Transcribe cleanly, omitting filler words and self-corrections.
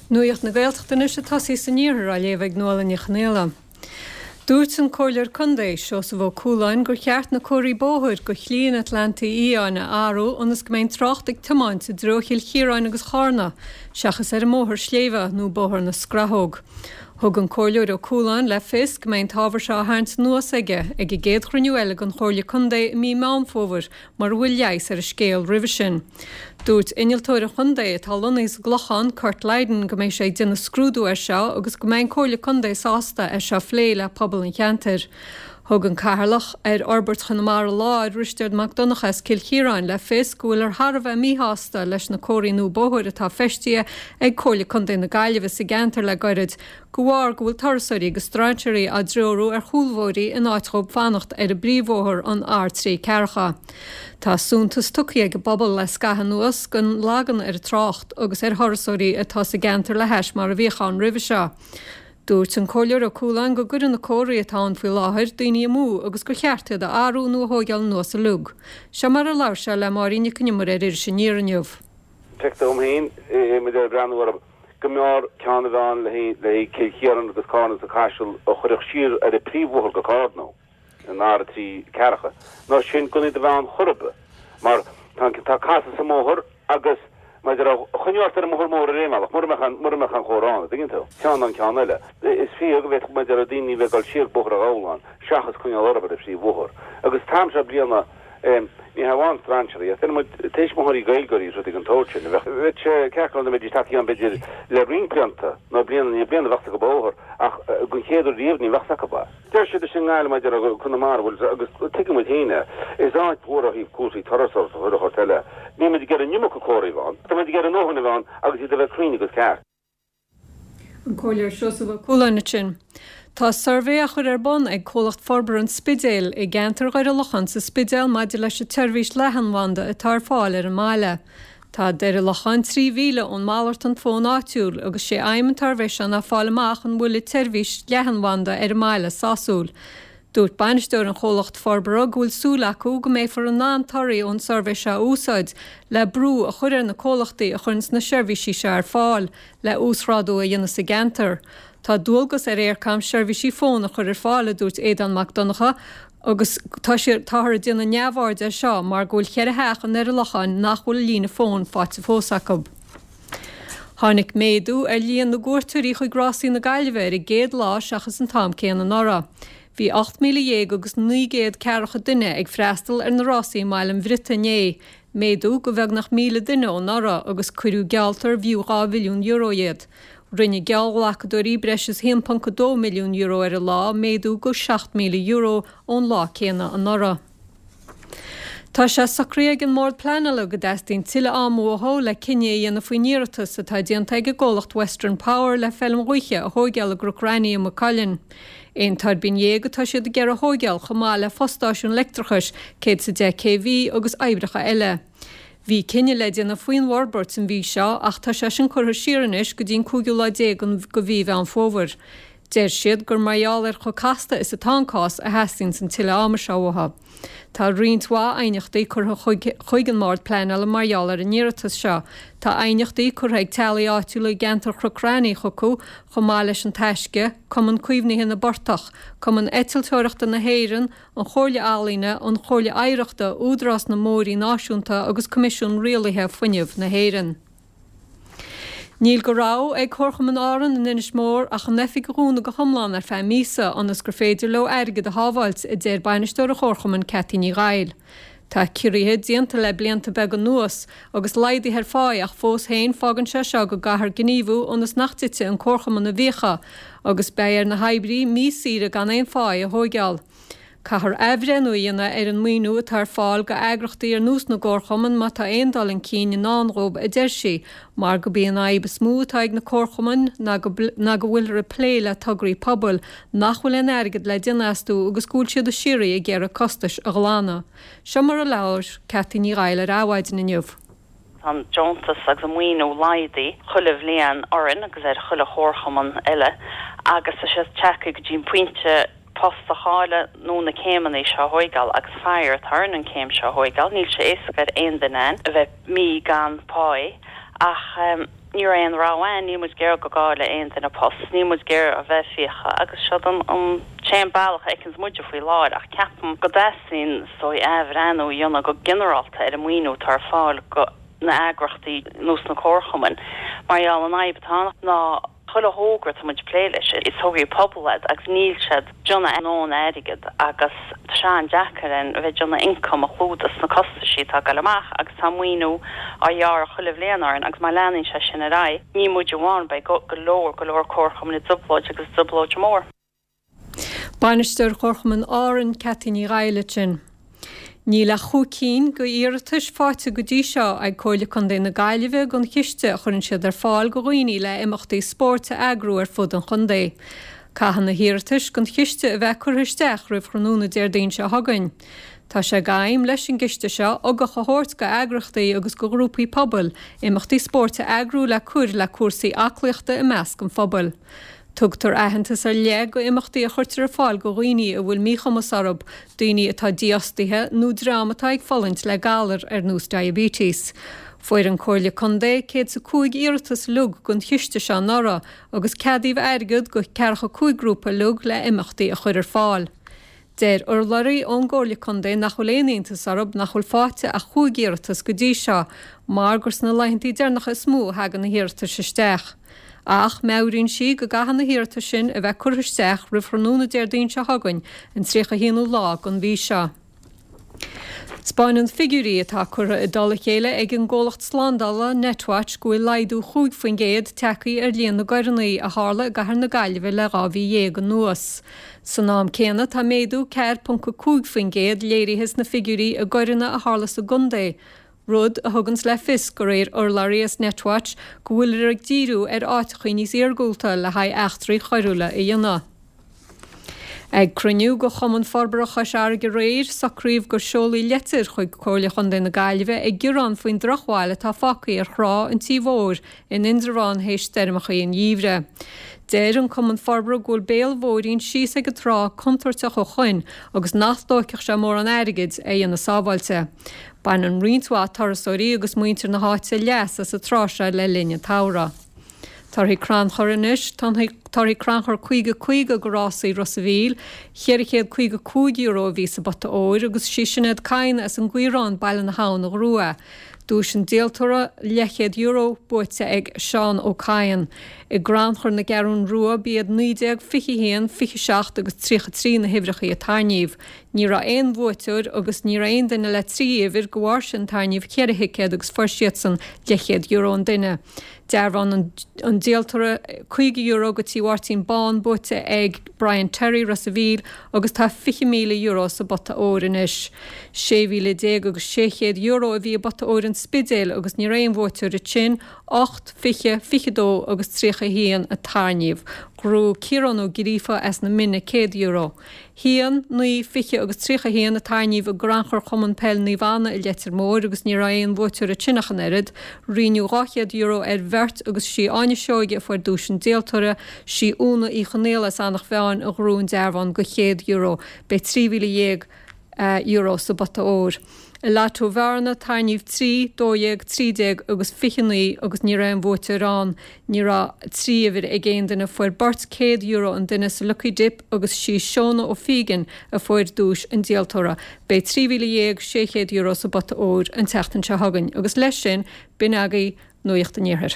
Nuacht na Gaeltachta anois ag tosaí san iarthar á léamh ag Nuala Ní Chonaola. Dúirt an Comhairleoir Contae, Seosamh Ó Cualáin, gur cheart na comharthaí bóthair go Shlí an Atlantaigh Fhiáin a athrú ionas go mbeidh an trácht ag tiomáint i dtreo Chill Chiaráin agus Chárna seachas ar an mbóthar sléibhe nó Bóthar na Scrathóg. Thug an Comhairleoir Ó Cualáin le fios go mbeidh an t-ábhar seo á tharraingt anuas aige ag an gcéad chruinniú eile den Chomhairle Contae i mí Meán Fómhair mura bhfuil leigheas ar an scéal roimhe sin. Dúirt innealtóir an chontae, atá lonnaithe sa gClochán, Kurt Lydon, go mbeidh sé ag déanamh scrúdú air seo agus go mbeidh an Comhairle Contae sásta é seo a phlé le pobal an cheantair. Thug an Cathaoirleach ar Fhorbairt Chonamara Láir, Risteard Mac Donncha as Cill Chiaráin, le fios go bhfuilthear thar a bheith míshásta leis na comharthaí nua bóthair atá feistithe ag Comhairle Contae na Gaillimhe sa gceantar le goirid de bharr go bhfuil turasóirí agus strainséirí á dtreorú ar chúlbhóithrí in áit dhóibh fanacht ar an bpríomhbhóthar, an R3 ceathracha. Tá suntas tugtha ag an bpobal le scaitheamh anuas don lagan ar an trácht agus ar thurasóirí atá sa gceantar le hais mar a bhíodh ann roimhe seo. Dúirt an Comhairleoir Ó Cualáin go gcuireann na comharthaí atá ann faoi láthair daoine amú agus gur cheart iad a athrú nó a thóigeáil anuas uilig. Seo mar a labhair sé le Máirín Nic an Iomaire ar Iris Aniar inniu. Feictear dom féin, muid ag breathnú orthu, go mb'fhearr ceann a bheith ann le haghaidh Cill Chiaráin agus Cárna agus an Caiseal a chuirfeadh siar ar an bpríomhbhóthar go Cárna, an R3 ceathracha, ná sin gan iad a bheith ann chor ar bith, mar tá tá casadh sa mbóthar agus mar a déarfá, choinneodh ort ar an mbóthar mór ar aon bhealach, mura mbeadh an mura mbeadh an chomhartha ann, an dtuigeann tú? Ceann ná an ceann eile. Is fíor go bhféadfadh mar a déarfá daoine a bheith ag dul siar Bóthar an Ghabhláin seachas coinneáil orthu ar an phríomhbhóthar. Agus an t-am seo bliana, Ní hamháin strainséirí, ach deir muid tuismitheoirí Gaeilgeoirí is rudaí den tsórt sin. Bheadh sé ceart go leor dá mbeidís tagtha ann b'fhéidir le roinnt blianta, nó bliain i ndiaidh bliana bheadh acu bóthar, ach den chéad uair riamh ní bheadh acu é. Deir siad i nGaillimh maidir le Conamara, bhuel, agus tuigeann muid féin é, is áit mhór ó thaobh cúrsaí turasóireachta chuile shórt eile. Níl muid ag iarraidh an iomarca comharthaí a bheith ann, tá muid ag iarraidh a ndóthain a bheith ann agus iad a bheith cruinn agus ceart. An Comhairleoir Seosamh Ó Cualáin ansin. Tá suirbhé á chur ar bun ag Comhlacht Forbartha an Spidéil i gceantar Dhoire Locháin sa Spidéal maidir leis an tseirbhís leathanbhanda atá ar fáil ar an mbaile. Tá Doire Locháin 3 mhíle ón malartán fóin áitiúil agus sé aidhm an tsuirbhé seo ná fáil amach an bhfuil an tseirbhís leathanbhanda ar an mbaile sásúil. Dúirt bainisteoir an chomhlacht forbartha go bhfuil súil acu go mbeifear in ann torthaí ón suirbhé seo a úsáid le brú a chur ar na comhlachtaí a chuireanns na seirbhísí seo ar fáil le uasghrádú a dhéanamh sa gceantar. Tá dualgas ar Eircom seirbhísí fóin a chur ar fáil, a dúirt Aodán Mac Donncha, agus tá siad, táthar ag déanamh neamhaird air seo mar go bhfuil cheithre theach i nDoire Locháin nach bhfuil líne fóin faighte fós acu. Tháinig méadú ar líon na gcuairteoirí chuig Rásaí na Gaillimhe ar an gcéad lá seachas an t-am céanna anuraidh. Bhí 18,900 agus ceathracha duine ag freastal ar na rásaí i mBaile an Bhriotaigh inné, méadú go bheagnach 1,000 duine ó anuraidh agus cuireadh gealltar b'fhiú €2 mhilliún iad. Rinne geallghlacadóirí breis is €1.2 milliún ar an lá, méadú go €7,000 ón lá céanna anuraidh. Tá sé socraithe ag an mBord Pleanála go dteastaíonn tuilleadh ama uathu le cinneadh a dhéanamh faoin iarratas atá déanta ag an gcomhlacht Western Power le feilm ghaoithe a thóigeáil i gCnoc Raithní i Maigh Cuilinn. Aon tuirbín dhéag atá siad ag iarraidh a thóigeáil chomh maith le fostáisiún leictreachais 110 kV agus oibreacha eile. Bhí cinneadh le déanamh faoin bhforbairt an mhí seo ach tá sé sin curtha siar anois go dtí an cúigiú lá déag de mhí Mheán Fómhair. Deir siad gur mar gheall ar chomh casta is atá an cás a theastaíonns an tuilleadh ama seo uathu. Tá roinnt mhaith aighneachtaí curtha chuig an mBord Pleanála mar gheall ar an iarratas seo. Tá aighneachtaí curtha ag teaghlaigh áitiúla i gceantar Chnoc Raithní chucu, chomh maith leis An Taisce, Cumann Caomhnaithe na bPortach, Cumann Eitilteoireachta na hÉireann, An Chomhairle Ealaíne, An Chomhairle Oidhreachta, Údarás na mBóithrí Náisiúnta agus Coimisiún Rialaithe Fuinnimh na hÉireann. Níl de rogha ag Comharchumann Árann in Inis Mór ach an oifig a dhúnadh go hiomlán ar feadh míosa ionas gur féidir leo airgead a shábháilt, a deir bainisteoir an chomharchumainn Cathy Ní Dhaill. Tá ciorruithe déanta le blianta beaga anuas agus laghduithe ar pháí ach fós féin fágann sé seo go gcaithfear gníomhú ionas nach dtitfidh an comharchumann i bhfiacha agus beidh ar na hoibrithe mí saoire gan aon pháí a thóigeáil. Caithfear athbhreithniú a dhéanamh ar an maoiniú atá ar fáil go eagrachtaí ar nós na gcomharchumann má tá aon dul chun cinn i ndán dhóibh, a deir sí, mar go b'í an fhadhb is mó atá ag na comharchumainn ná go ná go bhfuilthear ag plé le tograí pobail nach bhfuil aon airgead le déanamh astu agus go bhfuil siad de shíoraí ag iarraidh costais a ghlanadh. Seo mar a labhair Cathy Ní Dhaill ar Adhmhaidin inniu. Tá an deontas agus an maoiniú laghdaithe chuile bhliain orainn agus ar chuile chomharchumann eile agus tá sé tagtha go dtí an pointe post a chailleadh nó na céimeanna seo a thóigeáil agus faraor tá orainn an céim seo a thóigeáil. Níl sé éasca ar aon duine againn a bheith mí gan pá ach. Ní raibh aon rogha ann, níl muid ag iarraidh go gcaillfeadh aon duine post, níl muid ag iarraidh a bheith ag fiacha agus seod an t-aon bealach a fheiceanns muide faoi láthair ach ceapaim go dteastaíonn is dóigh athbhreathnú a dhéanamh go ginearálta ar an maoiniú atá ar fáil go na eagrachtaí nó sna comharchumainn mar gheall an fhadhb atá ann ná Chuile thogra atá muid ag plé leis, is tograí pobail iad agus níl siad ag déanamh a ndóthain airgead agus tá sé an-deacair orainn a bheith ag déanamh ioncam a chlúdach sna costaisí atá ag dul amach agus tá maoiniú á ghearradh chuile bhliain orainn agus má leanann sé sin ar aghaidh, ní muid amháin, beidh go leor, go leor comharchumainn i dtrioblóid agus trioblóid mhór. Bainisteoir Chomharchumann Árann, Ceaití Ní Dhaighile ansin. Níl ach chúig cinn go iarratais faighte go dtí seo ag Comhairle Contae na Gaillimhe don chiste a chuireann siad ar fáil go dhaoine le imeachtaí spóirt a eagrú ar fud an chontae. Caithfidh na hiarratais don chiste a bheith curtha isteach roimh thráthnóna Déardaoin seo chugainn. Tá sé d'aidhm leis an gciste seo ugach a thabhairt go eagrachtaí agus go ghrúpaí pobail imeachtaí spóirt a eagrú le cur le cúrsaí aclaíochta i measc an phobail. Tugtar aitheantas ar leith go imeachtaí a chuirtear ar fáil go dhaoine a bhfuil míchumas orthu, daoine atá dífhostaithe nó dream atá ag fulaingt le galar ar nós diabetes. Fuair an Comhairle Contae 105 iarratas uilig don chiste seo anuraidh agus ceadaíodh airgead go ceathracha 5 grúpa uilig le imeachtaí a chur ar fáil. Deir urlabhraí ón gComhairle Contae nach bhfuil aon iontas orthu nach bhfuil faighte ach chúig iarratas go dtí seo mar gur sna laethantaí deireanacha is mó a thagann na hiarratais isteach. Ach meabhraíonn sí go gcaithfidh na hiarratais sin a bheith curtha isteach roimh thráthnóna Déardaoin seo chugainn, an 31ú lá den mhí seo. 'Spáineann figiúirí atá curtha i dtoll a chéile ag an gcomhlacht slándála Netwatch go bhfuil laghdú 5% tagtha ar líon na gcoireanna a tharla i gcathair na Gaillimhe le 12 mhí anuas. San am céanna tá méadú 4.5% léirithe sna figiúirí i gcoireanna a tharla sa gcontae, rud a thuganns le fios de réir urlabhraí as Netwatch go bhfuiltear ag díriú ar áiteachaí níos iargúlta le haghaidh eachtraí choiriúla a dhéanamh. Ag cruinniú de Chumann Forbartha Chois Fharraige aréir, socraíodh gur seolfaí leitir chuig Comhairle Chontae na Gaillimhe ag gearán faoin drochbhail atá fágtha ar thrá an Tí Mhóir in Indreabhán théis stoirmeachaí an gheimhridh. Deir an Cumann Forbartha go bhfuil béal bóithrín síos ag an trá contúirteach ó shoin agus nach dtóigfeadh sé mórán airgid é a dhéanamh sábháilte. Baineann roinnt mhaith turasóirí agus muintir na háite leas as an trá seo le linn an tsamhraidh. Torthaí crannchur anois, Torthaí crannchur 50 50 go rásaí Ros a' Mhíl, €455 a bhí sa bpota óir agus sí Sinéad Kyne as an gCaorán, Baile na hAbhann a ghnóthaigh é. Duais an díoltóra, leathchéad euro, buaite ag Seán Ó Cadhain. I gcrannchur na gCeathrún Rua b'iad 19, 21, 27 agus 33 na huimhreachaí a tarraingíodh. Ní raibh aon bhuaiteoir agus ní raibh aon duine le 3 uimhir go bharr sin tarraingíodh ceithre thicéad agus fuair siadsan leathchéad euro an duine. Dearbhán an díoltóra, €50 go Tí Mháirtín Bán buaite ag Brian Terry, Ros a' Mhíl, agus tá €20,000 sa bpota óir anois. €16,600 a bhí i bpota óir an Spidéil agus ní raibh aon bhuaiteoir ansin, 8, 20, 22 agus 31 a tarraingíodh. Ghnóthaigh Ciarán Ó Gríofa as na Mine €100. 1, 9, 20 agus 31 a tarraingíodh i gcrannchur Chumann Peil Naomh Anna i Leitir Móir agus ní raibh aon bhuaiteoir ansin ach an oiread. Roinneadh €200 ar bheirt agus sí Áine Seoige a fuair duais an díoltóra, sí Úna Uí Chonaola as Eanach Mheáin a ghnóthaigh an dearbhán go €100. Beidh €13,000 sa bpota óir. I Lotto Bhearna, tarraingíodh 3, 12, 13 agus 29 agus ní raibh aon bhuaiteoir ann. Ní raibh 3 uimhir ag aon duine. Fuair beirt €100 an duine sa Lucky Dip agus sí Shona O'Fegan a fuair duais an díoltóra. Beidh €13,600 sa bpota óir an tseachtain seo chugainn agus leis sin, b'in agaibh Nuacht an Iarthair.